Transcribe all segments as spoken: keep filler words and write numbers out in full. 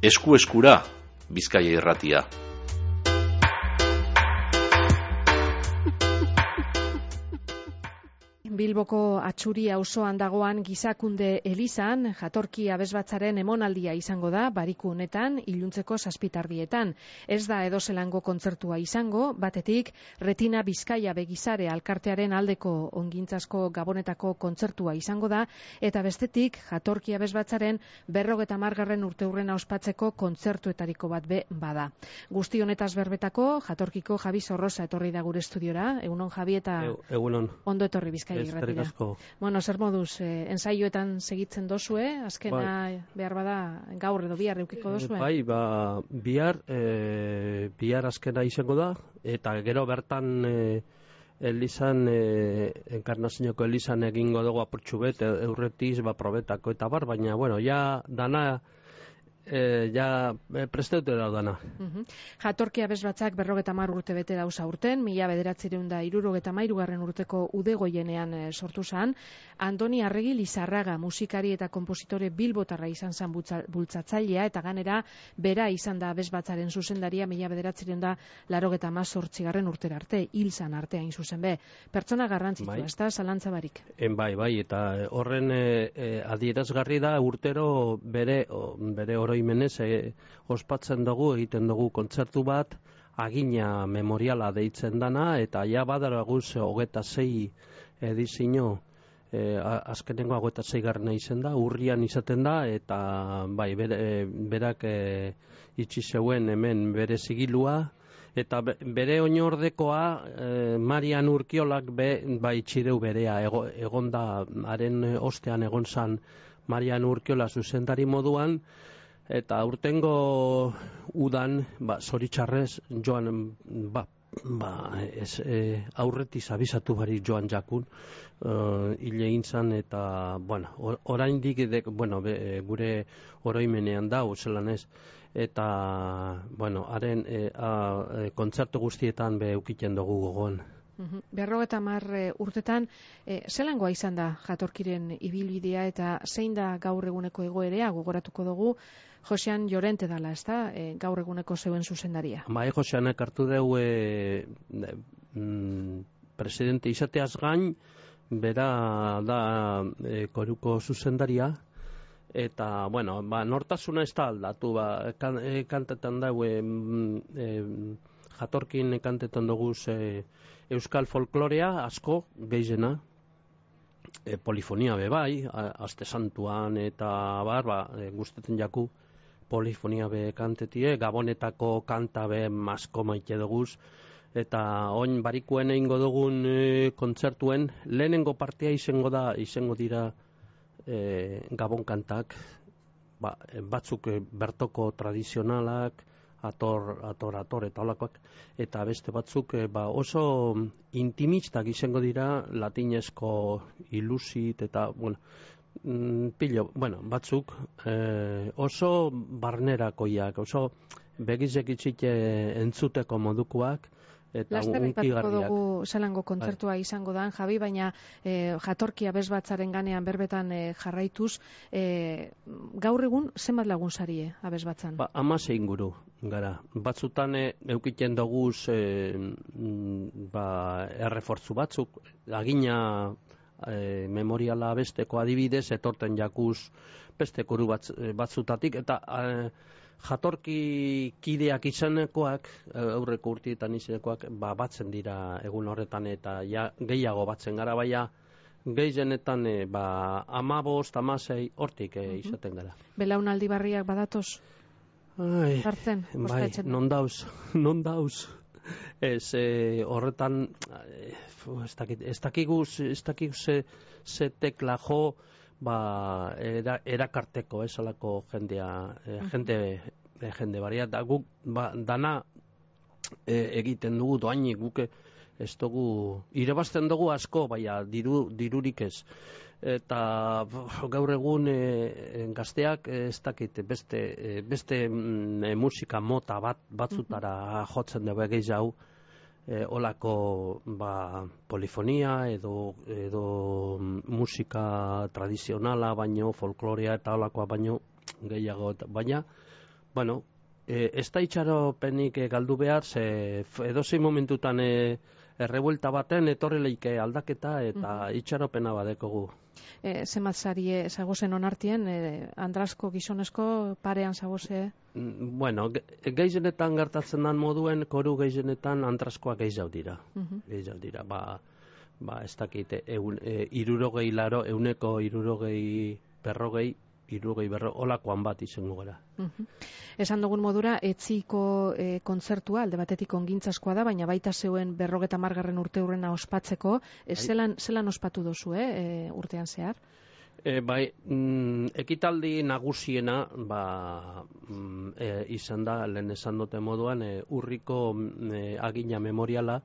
Esku-eskura, Bizkaia Irratia. Bilboko Atxuri auzoan dagoan Gizakunde elizan, jatorki abesbatzaren emonaldia izango da, bariku honetan, iluntzeko zazpitardietan. Ez da edozelango kontzertua izango, batetik Retina Bizkaia Begizare alkartearen aldeko ongintzasko gabonetako kontzertua izango da, eta bestetik jatorki abesbatzaren berrogeta margarren urteurrena ospatzeko kontzertuetariko bat be bada. Guzti honetaz berbetako, jatorkiko Javi Zorroza etorri da gure estudiora, egunon Javi eta e, egunon. Ondo etorri Bizkaia. Bueno, zer moduz, eh, ensaioetan segitzen dozue, azkena bai. Behar bada gaur edo bihar eukiko dozue? Bai, ba, bihar, e, bihar azkena izango da, eta gero bertan e, elizan, e, enkarnazinoko elizan egingo dugu apurtxu bet, eurretiz, ba, probetako eta bar, baina, bueno, ja, dana, E, ja presteute daudana. Uh-huh. Jatorki abesbatzak berrogeta mar urte bete dauza urten, mila bederatzireun da irurogeta mairugarren urteko udegoienean e, sortu zan. Andoni Arregi Lizarraga musikari eta kompositore bilbotarra izan zan bultzatzailea, eta ganera bera izan da abesbatzaren zuzendaria mila bederatzireun da larogeta mazortzigarren urtera arte, hil zan artean zuzen be. Pertsona garrantzitsua, bai. Ez da, zalantza barik. En bai, bai, eta horren e, e, adierazgarri da urtero bere, o, bere oro imenez, e, ospatzen dugu, egiten dugu kontzertu bat, agina memoriala deitzen dana, eta ja badaraguz hogeta zei edizio, e, azkenengo hogeta zei garrena izen da, urrian izaten da, eta bai, bere, berak e, itxi zeuen hemen bere zigilua, eta bere oinordekoa, e, Marian Urkiolak be, bai txireu berea, ego, egonda, haren ostean egon zan Marian Urkiola zuzendari moduan, eta urtengo udan, ba, zoritxarrez, joan, ba, ba, ez, e, aurretiz abizatu bari joan jakun, uh, hile intzan, eta, bueno, orain dik, bueno, be, gure oroimenean da, zelan ez, eta, bueno, haren e, a, kontzertu guztietan be eukiten dugu gogoan. Uhum. Berrogeta mar e, urtetan, e, zelangoa izan da jatorkiren ibilbidea eta zein da gaur eguneko egoerea, gogoratuko dugu, Josean Llorente dala, ez da, e, gaur eguneko zeuen zuzendaria. Bai, Joseanek hartu dugu e, mm, presidente izateaz gain, bera da e, koruko zuzendaria, eta, bueno, ba, nortasuna ez da aldatu, ba, kan, e, kantetan dugu, e, e, jatorkin kantetan dugu e, euskal folklorea asko, geizena, e, polifonia be bai, aste santuan eta bar, ba, e, guztetzen jaku, polifonia be kantetie, gabonetako kanta be asko maite duguz, eta oin barikuen egingo dugun e, kontzertuen, lehenengo partea izango da, izango dira e, gabon kantak, ba, batzuk e, bertoko tradizionalak, ator, ator, ator eta olakoak, eta beste batzuk e, ba, oso intimistak izango dira, latinezko ilusit eta, bueno, mm, pillo, bueno, batzuk e, oso barnerakoiak, oso begizek itxite entzuteko modukoak, eta unkigarriak. Dugu zelango kontzertua bai. Izango da, Javi, baina e, jatorki abesbatzaren ganean berbetan e, jarraituz, e, gaur egun zenbat lagun sarie abesbatzan? Ba, amase inguru gara. Batzutan e, eukiten doguz e, ba, errefortzu batzuk, agina e, memoriala besteko adibidez, etorten jakuz beste koru batz, batzutatik, eta e, jatorki kideak izanekoak, aurreko urtietan izanekoak, ba, batzen dira egun horretan, eta ja, gehiago batzen gara, baina gehienetan e, ba, amabost, amasei hortik e, izaten gara. Belaunaldi barriak badatoz? Ai, Zartzen, bai, non dauz, non dauz. Ez, e, horretan, e, ez dakit, ez dakiguz, ez dakiguz ze, ze tekla jo, ba, era, erakarteko, ez alako jendea, e, jende, e, jende baria, da guk, ba, dana e, egiten dugu, doainik guke, ez dugu, irebazten dugu asko, baina diru, dirurik ez. Eta gaur egun e, gazteak ez dakit beste, e, beste e, musika mota bat, batzutara jotzen dugu egeiz hau, e, olako ba, polifonia edo, edo musika tradizionala baino, folklorea eta olakoa baino gehiago, baina bueno, e, ez da itxaropenik e, galdu behar, ze edozein momentutan e, errebuelta baten etorri leike aldaketa eta mm. itxaropena badekogu. E, Zemat zarie zagozen onartien, e, Andrasko gizonezko parean zagoze? Bueno, gehienetan gertatzen dan moduen, koru gehienetan Andraskoak gehiago dira. Mm-hmm. Gehiago dira, ba, ba ez dakit, eun, e, irurogei laro, euneko irurogei berrogei, irurogei berro, olakoan bat izango gara. Mm-hmm. Esan dugun modura, etziko e, kontzertua, alde batetik ongintzaskoa da, baina baita zeuen berrogeta margarren urte hurrena ospatzeko, e, zelan, zelan ospatu dozu, eh, e, urtean zehar? E, bai, mm, ekitaldi nagusiena ba, mm, e, izan da, lehen esan dute moduan, e, urriko e, agina memoriala,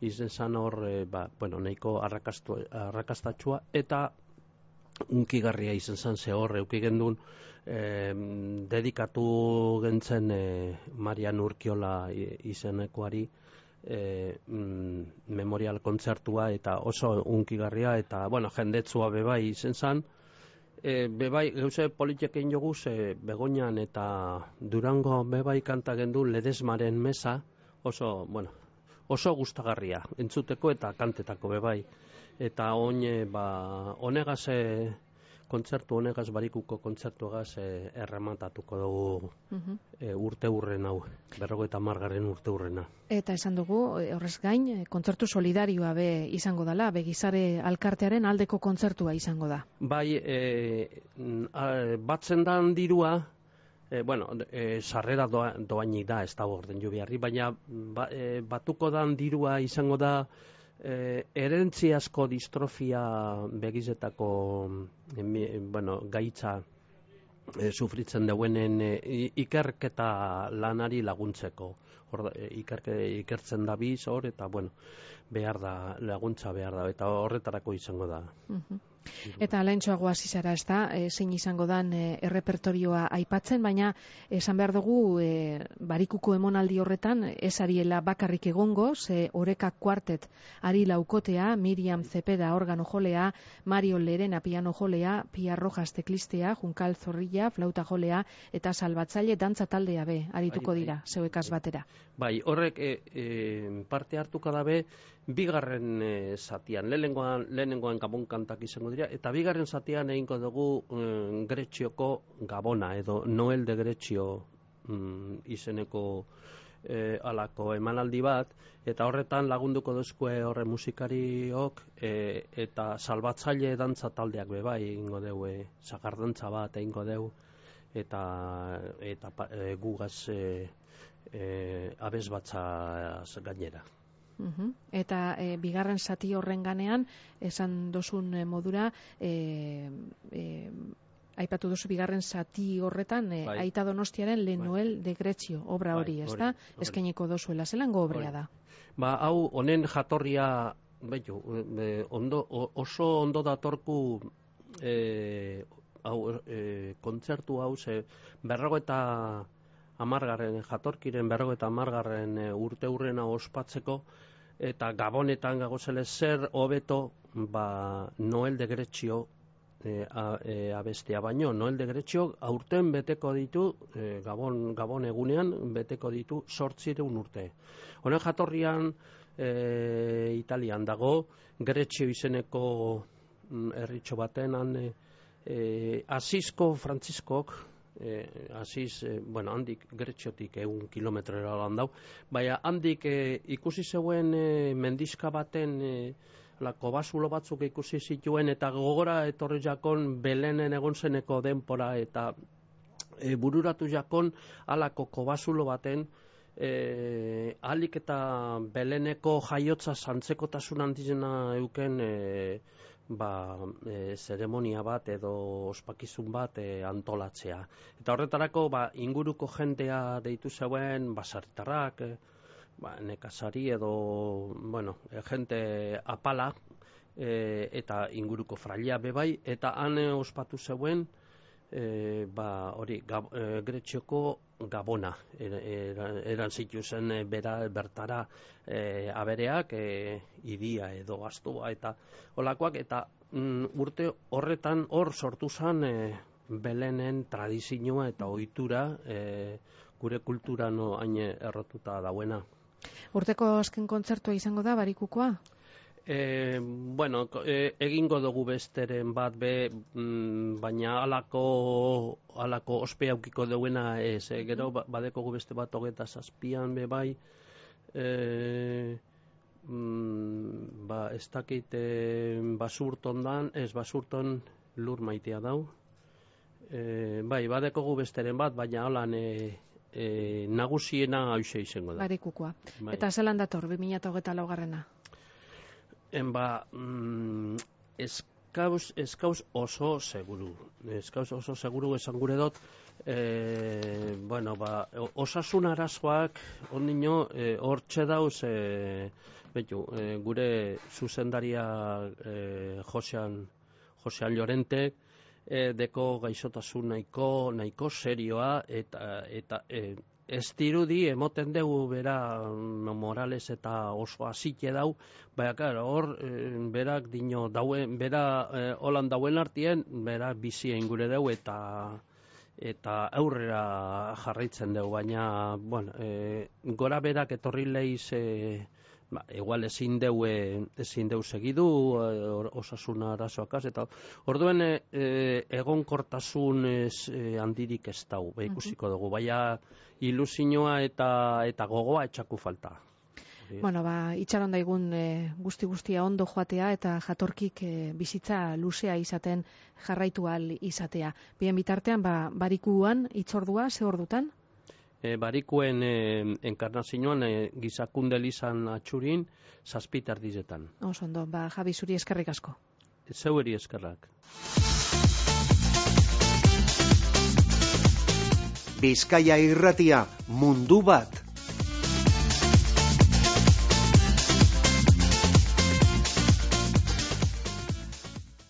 izan zan hor, e, ba, bueno, nahiko arrakastatxua, eta unkigarria izan zan ze hor, euki gendun, e, dedikatu gentzen e, Marian Urkiola izenekoari, E, mm, memorial kontzertua eta oso unkigarria eta bueno, jendetzua bebai izen zan e, bebai gauze politikein joguz e, Begoñan eta Durango bebai kanta gendu Ledesmaren mesa oso, bueno, oso gustagarria entzuteko eta kantetako bebai eta oin e, ba, honegaz e, kontzertu honegaz barikuko kontzertuagaz e, errematatuko dugu uh-huh. e, urte hurren hau, berrogeita hamargarren urte hurrena. Eta esan dugu, horrez gain, kontzertu solidarioa be izango dela, begizare alkartearen aldeko kontzertua izango da. Bai, e, batzen dan dirua, e, bueno, e, sarrera doa, doainik da, ez da orden jo beharri, baina ba, e, batuko dan dirua izango da, E, erentziazko distrofia begizetako e, bueno, gaitza e, sufritzen duenen e, ikerketa lanari laguntzeko. Hor, e, ikerke, ikertzen da biz hor eta bueno, behar da, laguntza behar da eta horretarako izango da. Uh-huh. Eta alaintxoago hasi zara, ez da, e, zein izango dan e, errepertorioa aipatzen, baina esan behar dugu e, barikuko emonaldi horretan ez ariela bakarrik egongo, ze Oreka Kuartet ari laukotea, Miriam Zepeda organo jolea, Mario Lerena piano jolea, Pia Rojas teklistea, Junkal Zorrilla flauta jolea eta Salbatzaile dantza taldea be arituko bai, dira, zeuekaz batera. Bai, horrek e, e, parte hartuko dabe bigarren e, zatian, lehenengoan, lehenengoan Gabon kantak izango dira, eta bigarren zatian egingo dugu e, Grezioko Gabona, edo Noel de Grezio mm, izeneko e, alako emanaldi bat, eta horretan lagunduko duzkue horre musikariok, e, eta Salbatzaile dantza taldeak bebai egingo dugu, e, sagardantza bat egingo dugu, eta, eta e, gugaz e, e, abesbatza gainera. Uhum. Eta e, bigarren zati horren ganean, esan dozun e, modura, e, e, aipatu duzu bigarren zati horretan, e, bai. Aita Donostiaren Le Noel de Grezio, obra hori, bai, ez da? Eskainiko dozuela, zelango obrea da? Ba, hau, honen jatorria, behitu, e, ondo, oso ondo datorku e, hau, e, kontzertu hau, ze berrogo eta amargarren, jatorkiren berrogo eta amargarren e, urte hurrena ospatzeko, eta Gabonetan gagozele zer hobeto ba, Noel de Grezio e, a, e, abestea baino. Noel de Grezio aurten beteko ditu, e, Gabon, Gabon egunean beteko ditu sortzireun urte. Honen jatorrian e, Italian dago, Grezio izeneko herritxo baten, han, e, e, Asizko Frantziskok, Eh, Asiz, eh, bueno, handik Greziotik egun kilometrera lan dau, baina handik eh, ikusi zeuen eh, mendizka baten eh, lako basulo batzuk ikusi zituen eta gogora etorri jakon Belenen egon zeneko denpora eta eh, bururatu jakon alako kobasulo baten eh, alik eta Beleneko jaiotza zantzekotasun handizena euken eh, ba, e, zeremonia bat edo ospakizun bat e, antolatzea. Eta horretarako ba, inguruko jendea deitu zeuen basartarrak, e, ba, nekazari edo bueno, e, jente apala e, eta inguruko frailea bebai, eta han e, ospatu zeuen e, ba, hori, gab, e, Grezioko Gabona eran era, era zituzen e, bera, bertara e, abereak e, idia edo gaztua eta olakoak eta mm, urte horretan hor sortu zen e, Belenen tradizioa eta ohitura e, gure kultura no hain errotuta dauena. Urteko azken kontzertua izango da Barikukoa? E, bueno, e, egingo dugu besteren bat be, mm, baina alako, alako ospe aukiko duena ez. E, gero badekogu beste bat hogeta zazpian be bai, e, mm, ba, ez dakit basurton dan, ez basurton lur maitea dau. E, bai, badekogu besteren bat, baina holan e, e, nagusiena hauxe izango da. Barikukoa. Bai. Eta zelan dator, bi mila hogeita lau garrena? En ba, mm, eskauz, eskauz oso seguru. Eskauz oso seguru esan gure dut, e, bueno, ba, osasun arazoak ondino hortxe e, dauz, e, betu, e, gure zuzendaria e, Josean, Josean Llorentek, e, deko gaixotasun nahiko, nahiko serioa, eta, eta e, ez dirudi emoten dugu bera Morales eta oso hasike dau, baina claro, hor e, berak dino dauen, bera e, holan dauen artien, bera bizi ingure deu eta eta aurrera jarraitzen dugu, baina bueno, e, gora berak etorri leiz e, ba, igual ezin deu ezin deu segidu e, osasun arazoakaz eta orduen e, egonkortasun ez, e, handirik ez dau, ba, ikusiko dugu, baina ilusioa eta eta gogoa etxaku falta. Bueno, ba, itxaron daigun e, guzti guztia ondo joatea eta jatorkik e, bizitza luzea izaten jarraitu ahal izatea. Bien bitartean, ba, barikuan itzordua, ze ordutan? E, barikuen e, enkarnazioan e, gizakunde lizan atxurin zazpitar dizetan. Oso ondo, ba, Javi zuri eskerrik asko. Zeueri eskerrak. Bizkaia Irratia, mundu bat.